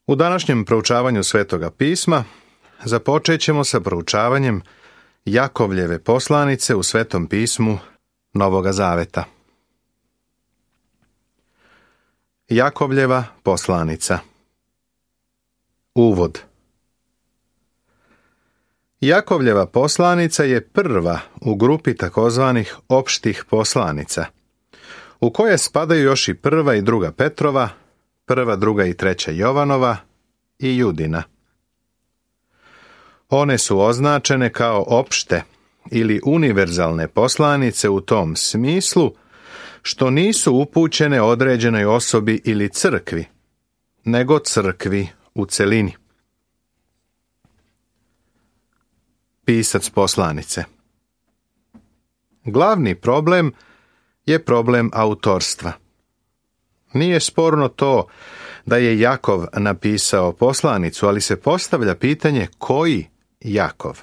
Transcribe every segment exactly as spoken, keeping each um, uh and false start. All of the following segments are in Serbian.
U današnjem proučavanju Svetoga pisma započet ćemo sa proučavanjem Jakovljeve poslanice u Svetom pismu Novoga Zaveta. Jakovljeva poslanica. Uvod. Jakovljeva poslanica je prva u grupi takozvanih opštih poslanica, u koje spadaju još i prva i druga Petrova, prva, druga i treća Jovanova i Judina. One su označene kao opšte ili univerzalne poslanice u tom smislu što nisu upućene određenoj osobi ili crkvi, nego crkvi u celini. Pisac poslanice. Glavni problem je problem autorstva. Nije sporno to da je Jakov napisao poslanicu, ali se postavlja pitanje koji Jakov.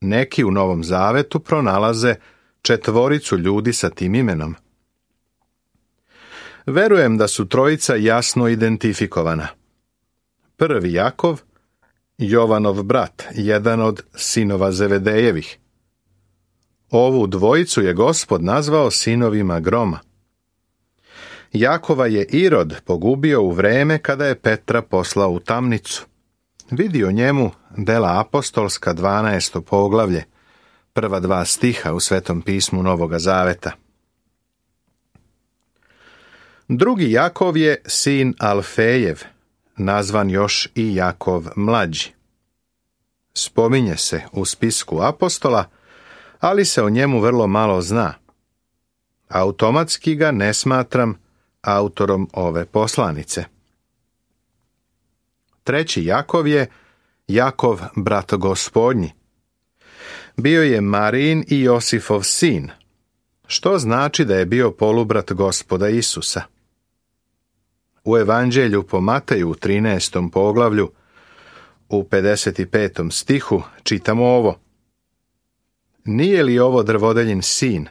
Neki u Novom Zavetu pronalaze četvoricu ljudi sa tim imenom. Verujem da su trojica jasno identifikovana. Prvi Jakov, Jovanov brat, jedan od sinova Zevedejevih. Ovu dvojicu je Gospod nazvao sinovima groma. Jakova je Irod pogubio u vreme kada je Petra poslao u tamnicu. Vidi o njemu Dela apostolska dvanaesto poglavlje, prva dva stiha u Svetom pismu Novoga Zaveta. Drugi Jakov je sin Alfejev, nazvan još i Jakov mlađi. Spominje se u spisku apostola, ali se o njemu vrlo malo zna. Automatski ga ne smatram autorom ove poslanice. Treći Jakov je Jakov brat Gospodnji. Bio je Marijin i Josifov sin, što znači da je bio polubrat Gospoda Isusa. U Evanđelju po Mateju u trinaestom poglavlju, u pedeset petom stihu, čitamo ovo. Nije li ovo drvodeljin sin?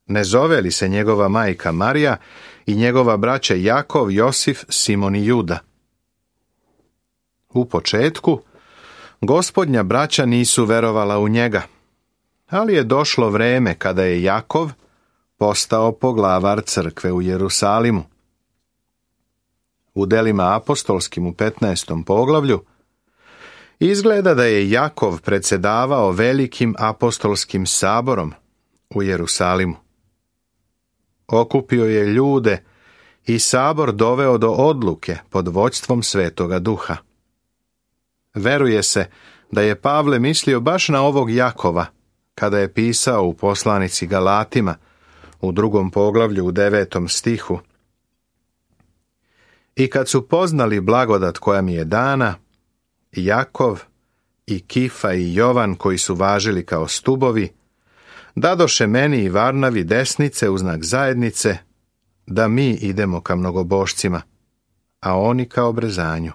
Ne zove li se njegova majka Marija i njegova braća Jakov, Josif, Simon i Juda? U početku, Gospodnja braća nisu verovala u njega, ali je došlo vreme kada je Jakov postao poglavar crkve u Jerusalimu. U delima apostolskim u petnaestom poglavlju izgleda da je Jakov predsjedavao velikim apostolskim saborom u Jerusalimu. Okupio je ljude i sabor doveo do odluke pod vođstvom Svetoga Duha. Veruje se da je Pavle mislio baš na ovog Jakova kada je pisao u poslanici Galatima u drugom poglavlju u devetom stihu. I kad su poznali blagodat koja mi je dana, Jakov i Kifa i Jovan koji su važili kao stubovi, dadoše meni i Varnavi desnice u znak zajednice, da mi idemo ka mnogobošcima, a oni ka obrezanju.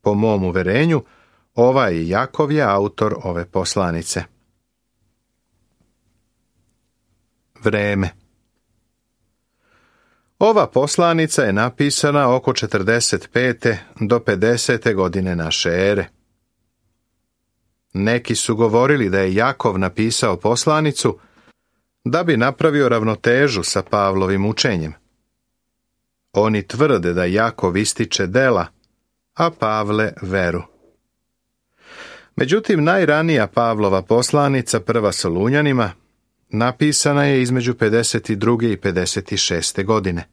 Po mom uverenju, ovaj Jakov je autor ove poslanice. Vreme. Ova poslanica je napisana oko četrdeset pete do pedesete godine naše ere. Neki su govorili da je Jakov napisao poslanicu da bi napravio ravnotežu sa Pavlovim učenjem. Oni tvrde da Jakov ističe dela, a Pavle veru. Međutim, najranija Pavlova poslanica, prva Solunjanima, napisana je između pedeset druge i pedeset šeste godine.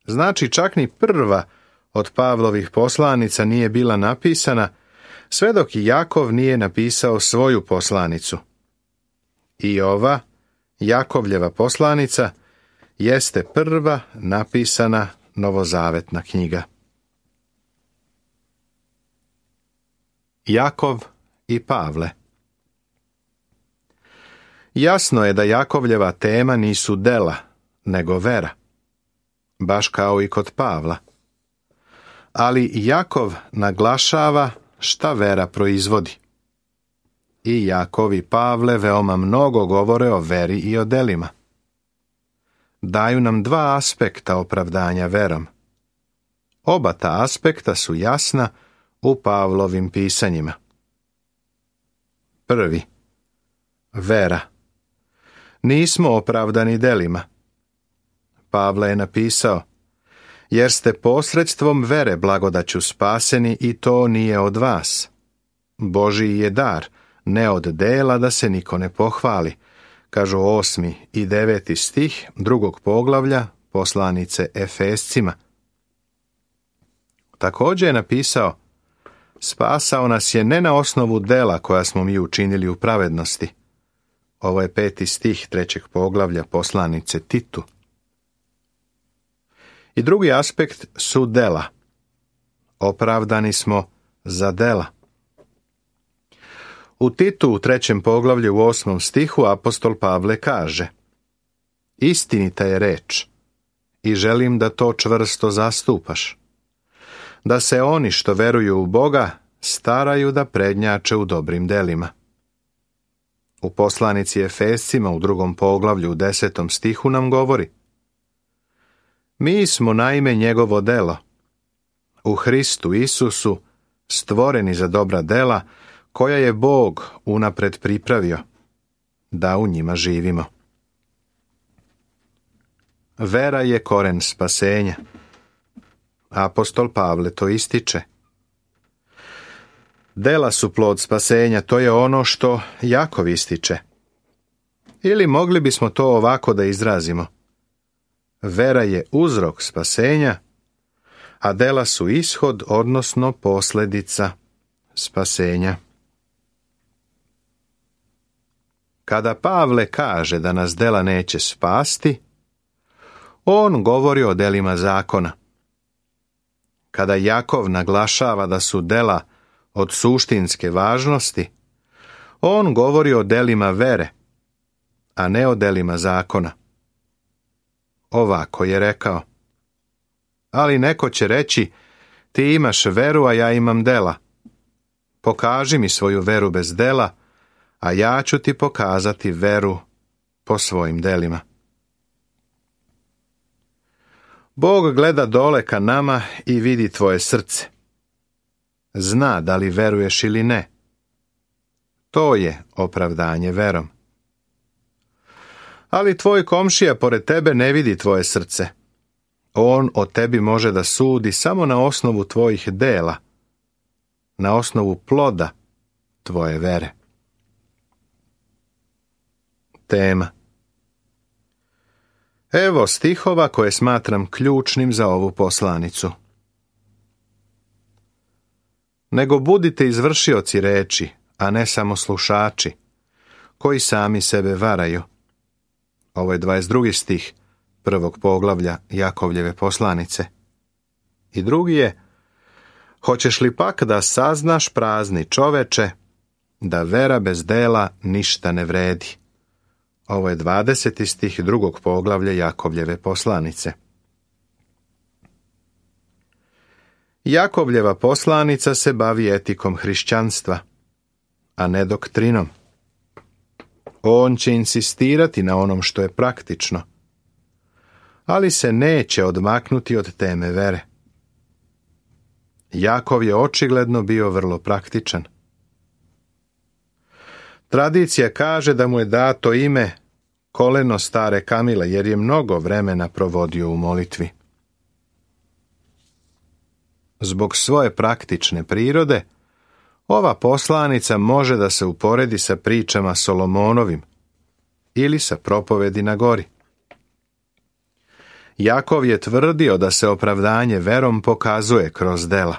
Znači, čak ni prva od Pavlovih poslanica nije bila napisana, sve dok i Jakov nije napisao svoju poslanicu. I ova, Jakovljeva poslanica, jeste prva napisana novozavetna knjiga. Jakov i Pavle. Jasno je da Jakovljeva tema nisu dela, nego vera, baš kao i kod Pavla. Ali Jakov naglašava šta vera proizvodi. I Jakov i Pavle veoma mnogo govore o veri i o delima. Daju nam dva aspekta opravdanja verom, Oba ta aspekta su jasna u Pavlovim pisanjima. Prvi. Vera. Nismo opravdani delima. Pavle je napisao: jer ste posredstvom vere blagodaću spaseni i to nije od vas. Božiji je dar, ne od dela da se niko ne pohvali, kažu osmi i deveti stih drugog poglavlja poslanice Efescima. Također je napisao: spasao nas je ne na osnovu dela koja smo mi učinili u pravednosti. Ovo je peti stih trećeg poglavlja poslanice Titu. I drugi aspekt su dela. Opravdani smo za dela. U Titu u trećem poglavlju u osmom stihu apostol Pavle kaže: istinita je reč i želim da to čvrsto zastupaš, da se oni što veruju u Boga staraju da prednjače u dobrim delima. U poslanici Efescima u drugom poglavlju u desetom stihu nam govori: mi smo naime njegovo delo, u Hristu Isusu stvoreni za dobra dela koja je Bog unapred pripravio, da u njima živimo. Vera je koren spasenja. Apostol Pavle to ističe. Dela su plod spasenja, to je ono što Jakov ističe. Ili mogli bismo to ovako da izrazimo: vera je uzrok spasenja, a dela su ishod, odnosno posljedica spasenja. Kada Pavle kaže da nas dela neće spasti, on govori o delima zakona. Kada Jakov naglašava da su dela od suštinske važnosti, on govori o delima vere, a ne o delima zakona. Ovako je rekao: ali neko će reći, ti imaš veru, a ja imam dela. Pokaži mi svoju veru bez dela, a ja ću ti pokazati veru po svojim delima. Bog gleda dole ka nama i vidi tvoje srce. Zna da li veruješ ili ne. To je opravdanje verom. Ali tvoj komšija pored tebe ne vidi tvoje srce. On o tebi može da sudi samo na osnovu tvojih dela, na osnovu ploda tvoje vere. Tema. Evo stihova koje smatram ključnim za ovu poslanicu. Nego budite izvršioci reči, a ne samo slušači, koji sami sebe varaju. Ovo je dvadeset drugi stih prvog poglavlja Jakovljeve poslanice. I drugi je: hoćeš li pak da saznaš, prazni čoveče, da vera bez dela ništa ne vredi. Ovo je dvadeseti stih drugog poglavlja Jakovljeve poslanice. Jakovljeva poslanica se bavi etikom hrišćanstva, a ne doktrinom. On će insistirati na onom što je praktično, ali se neće odmaknuti od teme vere. Jakov je očigledno bio vrlo praktičan. Tradicija kaže da mu je dato ime koleno stare Kamile, jer je mnogo vremena provodio u molitvi. Zbog svoje praktične prirode, ova poslanica može da se uporedi sa pričama Solomonovim ili sa propovedi na gori. Jakov je tvrdio da se opravdanje verom pokazuje kroz dela.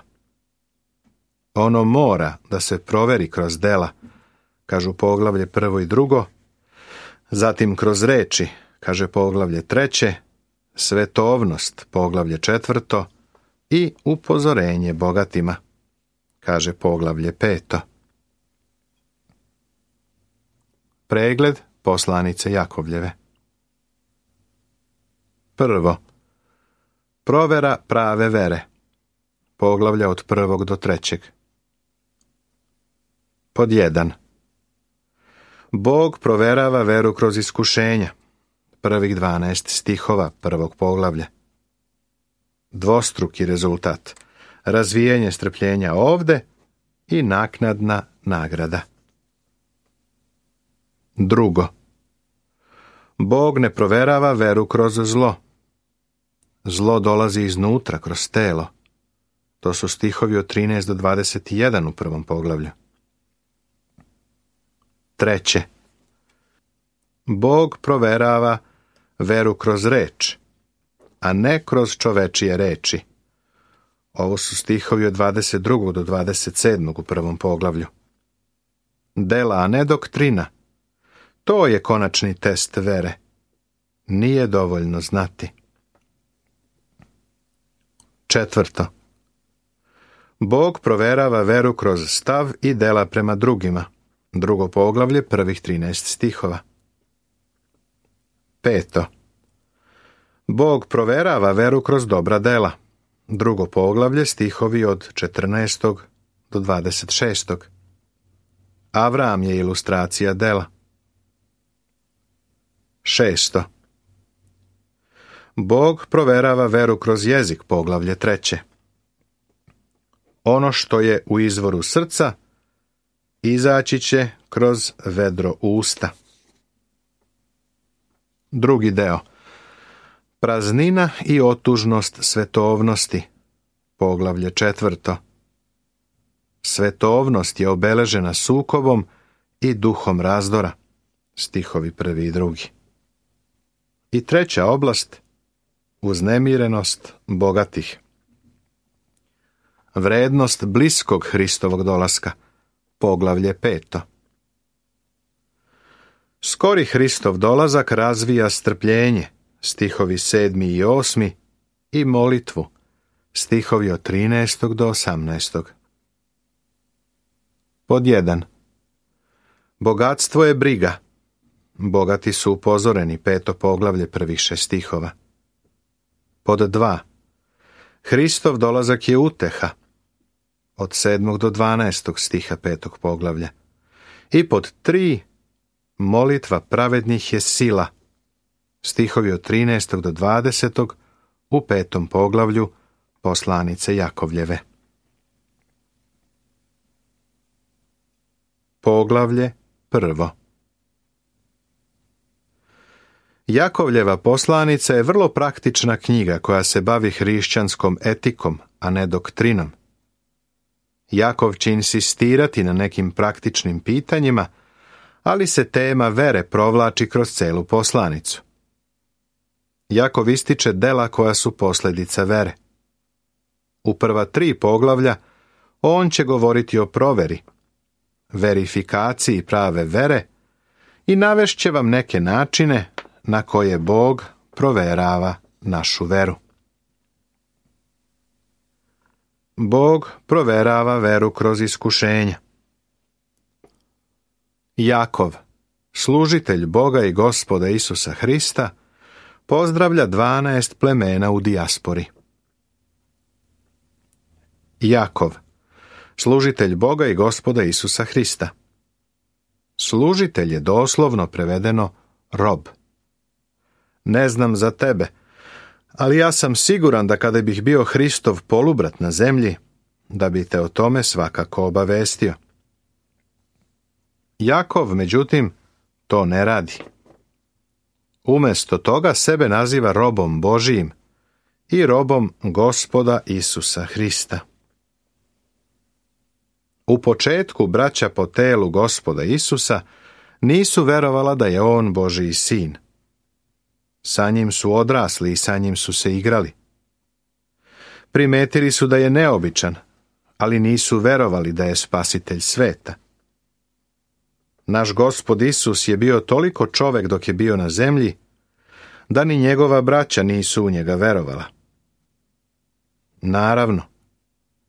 Ono mora da se proveri kroz dela, kažu poglavlje prvo i drugo, zatim kroz reči, kaže poglavlje treće, svetovnost, poglavlje četvrto i upozorenje bogatima, kaže poglavlje peto. Pregled poslanice Jakovljeve. Prvo, provera prave vere, poglavlja od prvog do trećeg. Pod jedan. Bog proverava veru kroz iskušenja, prvih dvanaest stihova prvog poglavlja. dvostruki rezultat, razvijanje strpljenja ovde i naknadna nagrada. Drugo, Bog ne proverava veru kroz zlo. Zlo dolazi iznutra, kroz telo. To su stihovi od trinaest do dvadeset jedan u prvom poglavlju. Treće, Bog proverava veru kroz reč, a ne kroz čovečije reči. Ovo su stihovi od dvadeset drugog do dvadeset sedmog u prvom poglavlju. Dela, a ne doktrina. To je konačni test vere. Nije dovoljno znati. Četvrto, Bog proverava veru kroz stav i dela prema drugima. Drugo poglavlje, prvih trinaest stihova. Peto, Bog proverava veru kroz dobra dela. Drugo poglavlje, stihovi od četrnaestog do dvadeset šestog. Avram je ilustracija dela. Šesto, Bog proverava veru kroz jezik, poglavlje treće. Ono što je u izvoru srca izaći će kroz vedro usta. Drugi deo. Praznina i otužnost svetovnosti, poglavlje četvrto. Svetovnost je obeležena sukobom i duhom razdora, stihovi prvi i drugi. I treća oblast, uznemirenost bogatih. Vrednost bliskog Hristovog dolaska, poglavlje peto. Skori Hristov dolazak razvija strpljenje, stihovi sedmi i osmi, i molitvu, stihovi od trinaestog do osamnaestog. Pod jedan. Bogatstvo je briga. Bogati su upozoreni, peto poglavlje, prvih šest stihova. Pod dva. Hristov dolazak je uteha, od sedmog do dvanaestog stiha petog poglavlja. I pod tri. Molitva pravednih je sila, stihovi od trinaestog do dvadesetog u petom poglavlju poslanice Jakovljeve. Poglavlje prvo. Jakovljeva poslanica je vrlo praktična knjiga koja se bavi hrišćanskom etikom, a ne doktrinom. Jakov će insistirati na nekim praktičnim pitanjima, ali se tema vere provlači kroz celu poslanicu. Jakov ističe dela koja su posljedica vere. U prva tri poglavlja on će govoriti o proveri, verifikaciji prave vere i navešće vam neke načine na koje Bog proverava našu veru. Bog proverava veru kroz iskušenja. Jakov, služitelj Boga i Gospoda Isusa Hrista, pozdravlja dvanaest plemena u dijaspori. Jakov, služitelj Boga i Gospoda Isusa Hrista. Služitelj je doslovno prevedeno rob. Ne znam za tebe, ali ja sam siguran da kada bih bio Hristov polubrat na zemlji, da bi te o tome svakako obavestio. Jakov, međutim, to ne radi. Umjesto toga sebe naziva robom Božijim i robom Gospoda Isusa Hrista. U početku braća po telu Gospoda Isusa nisu verovala da je on Božiji sin. Sa njim su odrasli i sa njim su se igrali. Primetili su da je neobičan, ali nisu verovali da je spasitelj sveta. Naš Gospod Isus je bio toliko čovek dok je bio na zemlji, da ni njegova braća nisu u njega verovala. Naravno,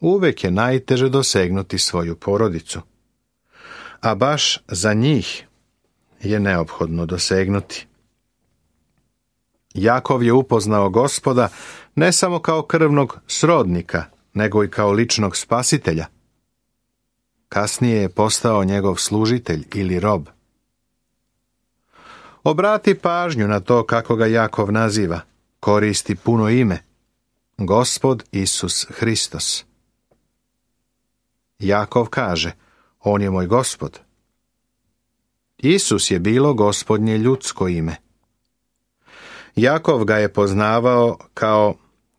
uvek je najteže dosegnuti svoju porodicu, a baš za njih je neophodno dosegnuti. Jakov je upoznao Gospoda ne samo kao krvnog srodnika, nego i kao ličnog spasitelja. Kasnije je postao njegov služitelj ili rob. Obrati pažnju na to kako ga Jakov naziva, koristi puno ime. Gospod Isus Hristos. Jakov kaže, on je moj Gospod. Isus je bilo Gospodnje ljudsko ime. Jakov ga je poznavao kao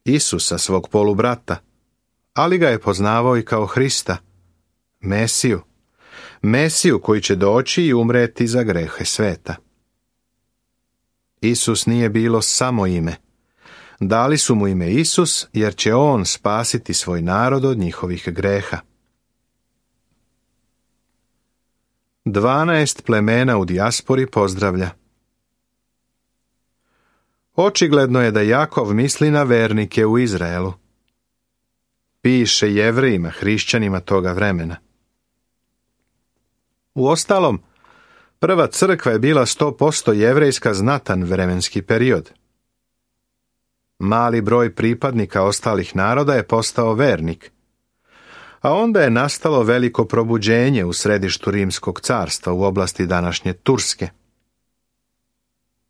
Isusa, svog polubrata, ali ga je poznavao i kao Hrista, Mesiju, Mesiju koji će doći i umreti za grehe sveta. Isus nije bilo samo ime. Dali su mu ime Isus jer će on spasiti svoj narod od njihovih greha. Dvanaest plemena u dijaspori pozdravlja. Očigledno je da Jakov misli na vernike u Izraelu. Piše Jevrejima, hrišćanima toga vremena. Uostalom, prva crkva je bila sto posto jevrejska znatan vremenski period. Mali broj pripadnika ostalih naroda je postao vernik, a onda je nastalo veliko probuđenje u središtu Rimskog carstva u oblasti današnje Turske.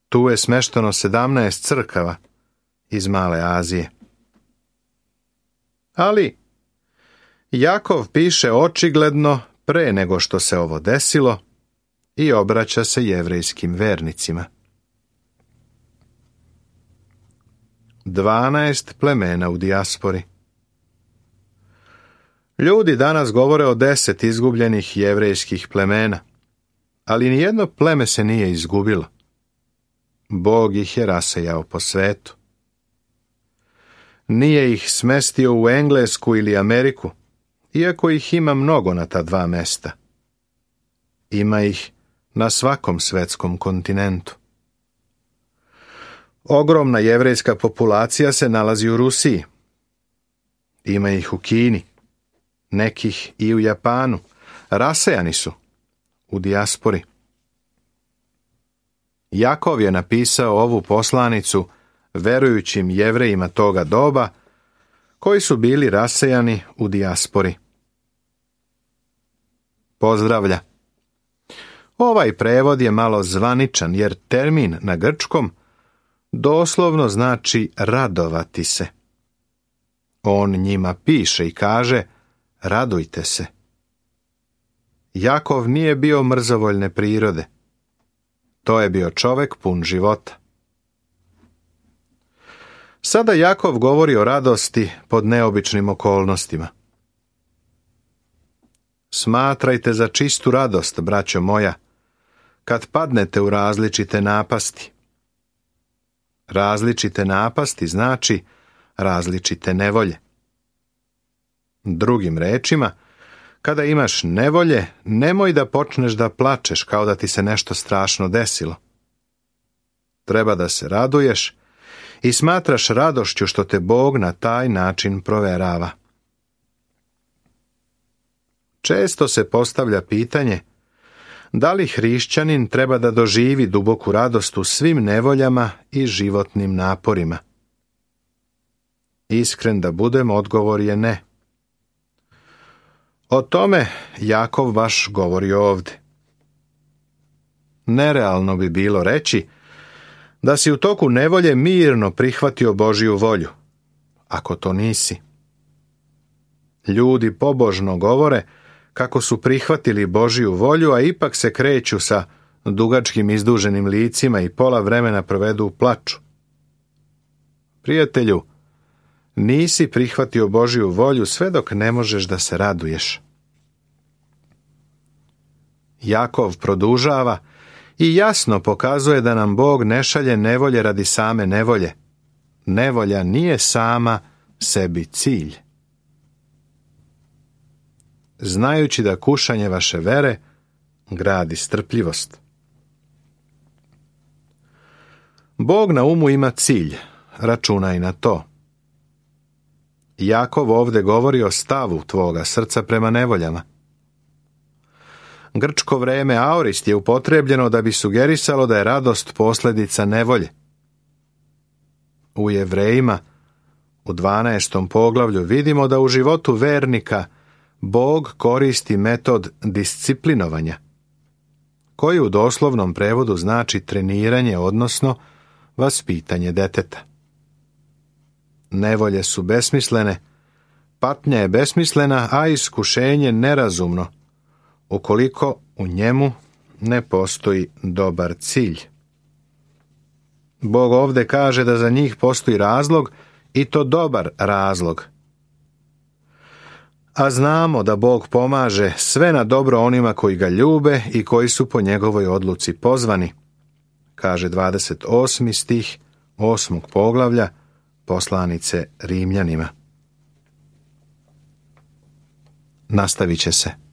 Tu je smešteno sedamnaest crkava iz Male Azije. Ali Jakov piše očigledno pre nego što se ovo desilo i obraća se jevrejskim vernicima. Dvanaest plemena u dijaspori. Ljudi danas govore o deset izgubljenih jevrejskih plemena, ali nijedno pleme se nije izgubilo. Bog ih je rasejao po svetu. Nije ih smestio u Englesku ili Ameriku, iako ih ima mnogo na ta dva mesta. Ima ih na svakom svetskom kontinentu. Ogromna jevrejska populacija se nalazi u Rusiji. Ima ih u Kini, nekih i u Japanu. Rasejani su u dijaspori. Jakov je napisao ovu poslanicu verujućim Jevrejima toga doba, koji su bili rasejani u dijaspori. Pozdravlja. Ovaj prevod je malo zvaničan, jer termin na grčkom doslovno znači radovati se. On njima piše i kaže, radujte se. Jakov nije bio mrzovoljne prirode. To je bio čovek pun života. Sada Jakov govori o radosti pod neobičnim okolnostima. Smatrajte za čistu radost, braćo moja, kad padnete u različite napasti. Različite napasti znači različite nevolje. Drugim rečima, kada imaš nevolje, nemoj da počneš da plačeš kao da ti se nešto strašno desilo. Treba da se raduješ i smatraš radošću što te Bog na taj način proverava. Često se postavlja pitanje da li hrišćanin treba da doživi duboku radost u svim nevoljama i životnim naporima. Iskren da budem, odgovor je ne. O tome Jakov baš govori ovdje. Nerealno bi bilo reći da si u toku nevolje mirno prihvatio Božju volju, ako to nisi. Ljudi pobožno govore kako su prihvatili Božju volju, a ipak se kreću sa dugačkim izduženim licima i pola vremena provedu u plaču. Prijatelju, nisi prihvatio Božju volju sve dok ne možeš da se raduješ. Jakov produžava i jasno pokazuje da nam Bog ne šalje nevolje radi same nevolje. Nevolja nije sama sebi cilj. Znajući da kušanje vaše vere gradi strpljivost. Bog na umu ima cilj, računaj na to. Jakov ovdje govori o stavu tvoga srca prema nevoljama. Grčko vreme aorist je upotrebljeno da bi sugerisalo da je radost posljedica nevolje. U Jevrejima, u dvanaestom poglavlju, vidimo da u životu vernika Bog koristi metod disciplinovanja, koji u doslovnom prevodu znači treniranje, odnosno vaspitanje deteta. nevolje su besmislene, patnja je besmislena, a iskušenje nerazumno, ukoliko u njemu ne postoji dobar cilj. Bog ovdje kaže da za njih postoji razlog, i to dobar razlog. A znamo da Bog pomaže sve na dobro onima koji ga ljube i koji su po njegovoj odluci pozvani, kaže dvadeset osmi stih osmog poglavlja poslanice Rimljanima. Nastavit će se.